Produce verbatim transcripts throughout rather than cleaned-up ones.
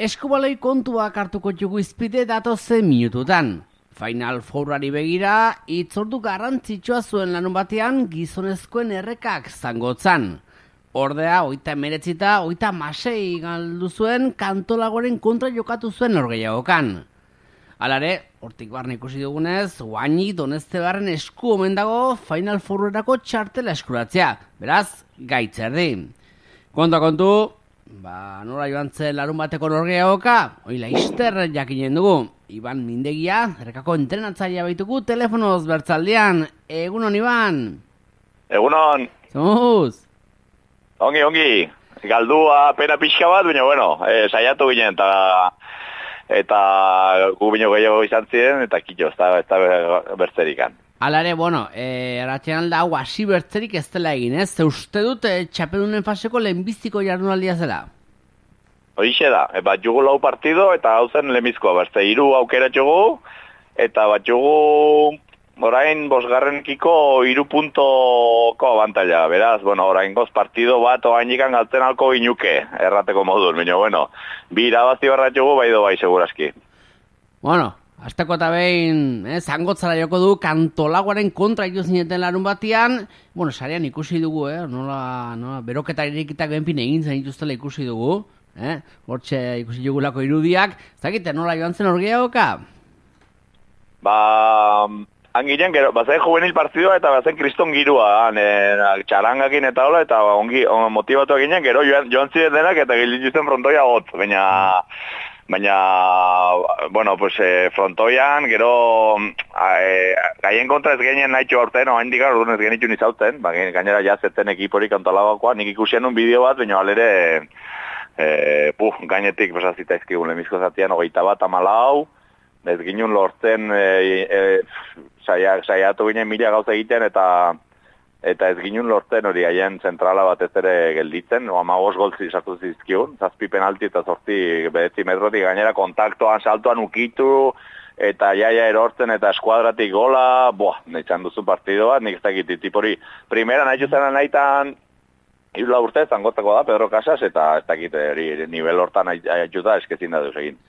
Eskubaloi kontuak hartuko jugu izpide datozen minututan. Final Fourari begira, itzordu garrantzitsua zuen lanun batean gizonezkoen errekak zangotzan. Ordea, oita emeretzita, oita masei galdu zuen kantolagoren kontra jokatu zuen norgeiagokan. Halare, hortik barne ikusi dugunez, guaini Doneztebarren esku omen dago Final Fourerako txartela eskuratzea. Beraz, gaitzerdi. Konta kontu, ba, nola joan zen larun bateko norgeiagoka, oila izter jakinen dugu. Iban Mindegia, errekako entrenatzailea baitugu telefonoz bertzaldean. Egunon, Iban? Egunon. Zomuz? Ongi, ongi. Galdua pena pixka bat, baina, bueno, eh, saiatu ginen, eta eta gu bino gehiago izan ziren, eta kitxo, ez da, ez da bertzerikan. Alare, bueno, eh, erratxean alda, hau hasi bertzerik ez dela egin, ez? Ze uste dut, eh, txapelunen faseko lehenbiztiko jardunaldia zela? Horixe da, e, bat jugu lau partido, eta hau zen lehenbizkoa, bertze, hiru aukera jugu, eta bat jugu orain bosgarrenkiko hiru puntoko abantaila, beraz, bueno, orain goz partido bat oainikan galtzen alko inuke, errateko modun, baina, bueno, bi irabazi barrat jugu, bai do bai, seguraski. Bueno, azteko eta behin, eh, zangotzara joko du, kantolagoaren kontra ito zineten larun batean, bueno, sarean ikusi dugu, eh, nola, nola, beroketa irikitak benpin egin zen ituztela ikusi dugu, eh, hortxe ikusi dugulako irudiak, zakite nola joan zen orgeagoka? Ba, anginen, gero, bazen juvenil partidua eta bazen kriston girua, eh, txarangakin eta hola, eta ongi, on, motibatu eginen, gero joan, joan ziren denak eta gilditzen frontoia got, baina... Baina, bueno, pues, eh, frontoian, gero, eh, gaien kontra ez genien nahitxo aurten, oa indika, orduan ez genitu nizauten, ba, gainera jazetzen ekiporik antolagoakoa, nik ikusten un bideo bat, baina alere, eh, puh, gainetik pasazita izkigun lemizko zatian, hogeita bat amalau, ez ginen lortzen, eh, eh, saia, saiatu ginen mila gauza egiten, eta eta ez ginen lortzen hori haien zentrala bat ez ere gelditzen, o amagos goltzi sartu zizkigun, zazpi penalti eta zortzi bedetzi metrotik gainera kontaktoan, saltoan ukitu, eta jaia erortzen eta eskuadratik gola, boa, neitxan duzu partido bat, nik ez dakit, tipori, primera nahi juzena nahitan, irula urte, zangotako da, Pedro Casas, eta ez dakit, eri, nivel hortan ajuda eskezin da duz egin.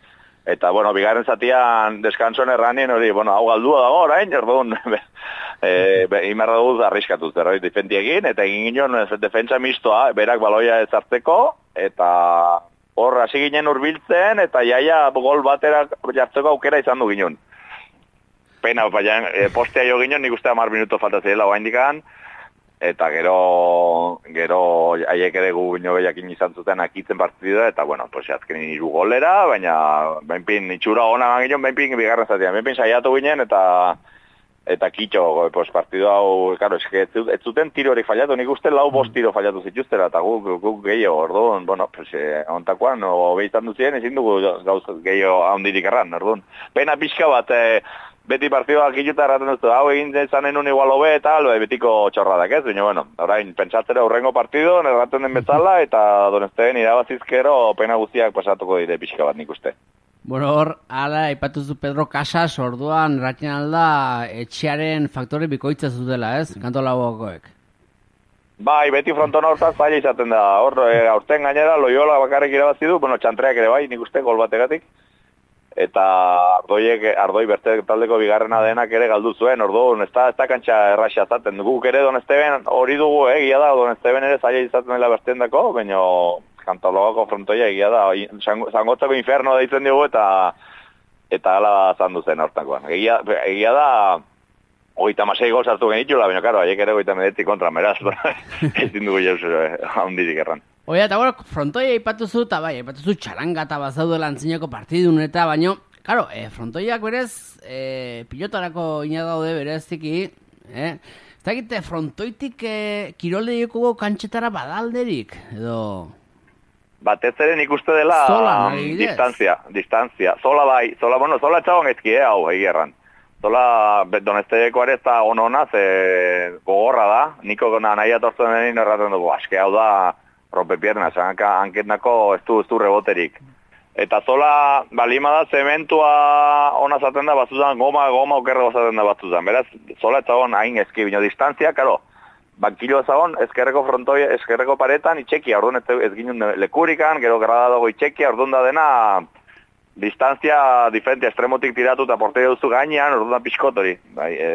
Eta, bueno, bigarren zatian deskansoen erranien hori, bueno, hau galdua dago orain, erdugun, e, imarra duz arriskatuz, erroi defendiegin, eta egin ginen defentsa mistoa, berak baloia ez hartzeko, eta hor hasi ginen urbiltzen, eta jaia gol batera jartzeko aukera izan du ginen. Pena, baina, e, postea jo ginen, nik uste hamar minuto falta zirela oa indikan, eta gero, gero haiek ere gu bino behiakin izan zuten akitzen partidua, eta, bueno, pues, azken hiru golera, baina, benpin, itxura hona ginen, benpin, bigarren zatean, benpin saiatu ginen, eta, eta kitxo, pues, partidu hau, karo, ez, ez zuten tiro hori fallatu, nik uste lau bost tiro fallatu zituztera, eta guk, guk gehiago, orduan, bueno, pues, eh, ontakoan, obeitan duzien, ezin dugu gauz gehiago handirik erran, orduan. Pena pixka bat, eh, beti partidua kiluta erraten duztu, hau egin zanen un igual hobe eta albe, betiko txorradak ez, baina, bueno, orain, pentsatzera urrengo partidu, erraten den bezala, eta Donezteben irabazizkero pena guztiak pasatuko dire pixka bat nik uste. Bueno, hor, ala, ipatuzu Pedro Casas, orduan, erratzen alda, etxearen faktore bikoitza zutela, ez? Kantolagoakoek. Bai, beti frontona hortaz zaila izaten da, hor, e, aurten gainera, Loyola bakarrik irabazi du, bueno, txantreak ere bai, nik uste, gol bategatik. Eta ardoiek, ardoi berte taldeko bigarrena denak ere galdu zuen, orduan, ez da, ez da kantxa erraxa zaten. Guk ere Donezteben hori dugu, eh, egia da, Donezteben ere zaila izaten dela bertzen dako, baina Kantologako frontoia egia da, zangotzako inferno deitzen dugu, eta eta ala zandu zen hortakoan. Egia, egia da, hogeita masei gol sartu genitxula, baina, karo, haiek ere hogeita medetzi kontra, meraz, ezin dugu jauz handirik erran. Oia, eta bueno, frontoia ipatuzu, eta bai, ipatuzu txaranga eta bazaudela antzinako partidun eta, baino, karo, e, frontoiak berez, e, pilotarako ina daude bereziki, eh? Ez dakite, frontoitik e, kirolde joko kantxetara badalderik, edo... Batez ere nik uste dela Zola, um, distantzia, distantzia. Zola bai, zola, bueno, zola etxaban ezki, eh, hau, egia erran. Zola, Donezteko ere ez da ono-ona, ze gogorra da, niko nahi atortzen denin erraten dugu, aske hau da, rompepierna, zanka hanketnako ez du, ez du reboterik. Eta zola, balima da, zementua ona zaten da batuzan, goma, goma okerrego zaten da batuzan. Beraz, zola ez zagon hain ezki, bino distantzia, karo, bankilo ezagon, ezkerreko frontoi, ezkerreko paretan, itxekia, orduan ez, ez ginen lekurikan, gero grada dago itxekia, orduan da dena, distantzia diferente, estremotik tiratu eta porteria duzu gainean, orduan pixkot hori, bai, e,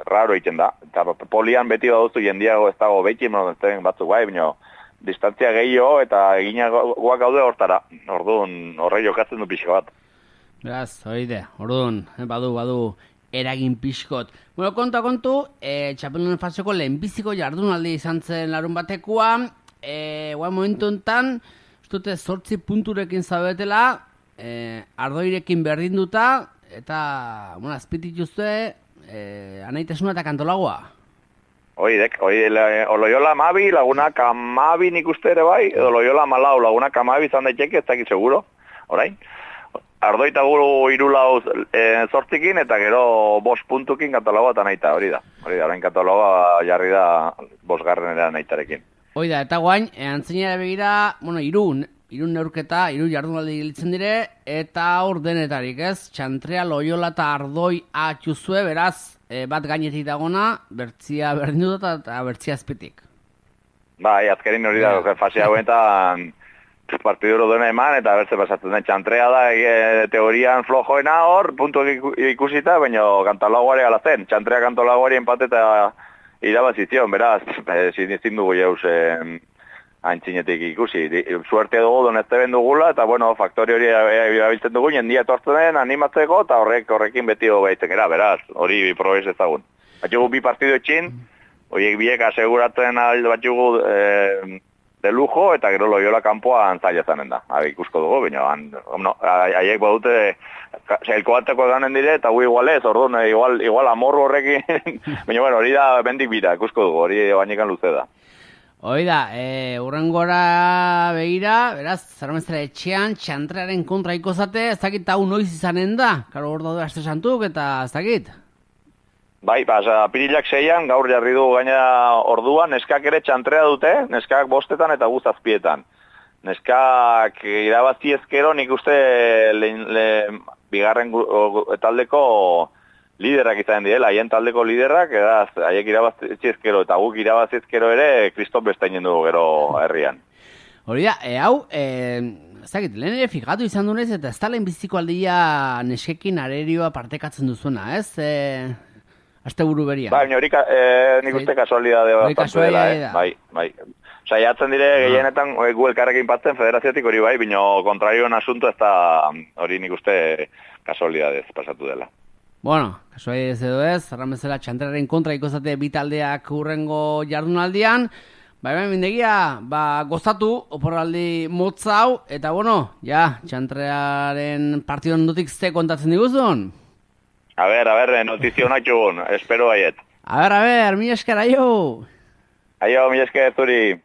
raro egiten da. Eta polian beti baduzu jendiago ez dago beti, batzuk bai, bino, distantzia gehiago eta eginagoak gaude hortara. Orduan, horre jokatzen du pixka bat. Beraz, oide, orduan, badu, badu, eragin pixkot. Bueno, konta kontu, e, txapelunen faseko lehenbiziko jardunaldi izan zen larun batekoa, e, guai momentu enten, ustute zortzi punturekin zabetela, e, ardoirekin berdinduta, eta, bueno, azpitik juzte, e, anaitasuna eta kantolagoa. Oidek, oi, Loyola amabi, lagunak amabi nik uste ere bai, edo Loyola amalau, lagunak amabi izan daiteke, ez dakit seguro, orain. Ardoita guru irulau e, zortzikin, eta gero bost puntukin kantolagoa eta naita, hori da. Hori da, orain kantolagoa jarri da bosgarrenera naitarekin. Hoi da, eta guain, e, antzinera begira, bueno, irun, irun neurketa, iru jardunaldi gilitzen dire, eta hor denetarik, ez? Txantrea, Loyola eta Ardoi atxuzue, beraz, e, bat gainetik dagona, bertzia berdin dut eta bertzia azpitik. Bai, azkerin hori da, yeah. Fase hauetan partiduro duena eman, eta bertze pasatzen den. Txantrea da, e, teorian flojoena hor, puntu ikusita, baina kantolagoare ala zen. Txantrea kantolagoare empate eta irabazizion, beraz, ezin e, dugu jauz e, antzinetik ikusi. Suerte dugu donezte bendugula, eta bueno, faktori hori erabiltzen dugu, jendia etortzen den, animatzeko, eta horrek horrekin beti hobeitzen gara, beraz, hori probez ezagun. Batxugu bi partido etxin, horiek biek aseguratzen batxugu e, de lujo, eta gero Loyola kanpoa antzaila zanen da. Ha, ikusko dugu, baina no, haiek badute elkoateko ganen dire, eta gu igual ez, orduan, igual, igual amorru horrekin, baina bueno, hori da bendik bira, ikusko dugu, hori bainekan luze da. Hoi da, e, urrengora begira, beraz, Zarmezera etxean, Txantrearen kontra ikozate, ez dakit hau noiz izanen da, karo hor daude aste santuk, eta ez dakit. Bai, ba, apirilak seian, gaur jarri du gaina orduan, neskak ere Txantrea dute, neskak bostetan eta guztazpietan. Neskak irabazi ezkero, nik uste le, le, bigarren taldeko liderak izan direla, haien taldeko liderak, edaz, haiek irabazi ezkero, eta guk irabazi ezkero ere, Kriston bestainen dugu gero herrian. Hori da, e, hau, e, ez dakit, lehen ere fikatu izan dunez, eta ez da lehen biziko aldia neskekin arerioa partekatzen duzuena, ez? E... Aste buru berian. Bai, hori eh, nik uste kasualidade bat dela, eh? Bai, bai. Saiatzen dire ah. gehienetan gu elkarrekin patzen federaziotik hori bai, bino kontrarioen asunto ez da hori nik uste kasualidadez pasatu dela. Bueno, kasualidadez edo ez, Zarramezela Txantrearen kontra ikozate bitaldeak urrengo jardunaldian, bai, bai, mindegia, ba, gozatu, oporraldi motza hau, eta bueno, ja, Txantrearen partidon notik ze kontatzen diguzun? A ver, a ver, notizio honak jugun, espero baiet. A ver, a ver, mi esker, aio! Aio, mi esker, zuri.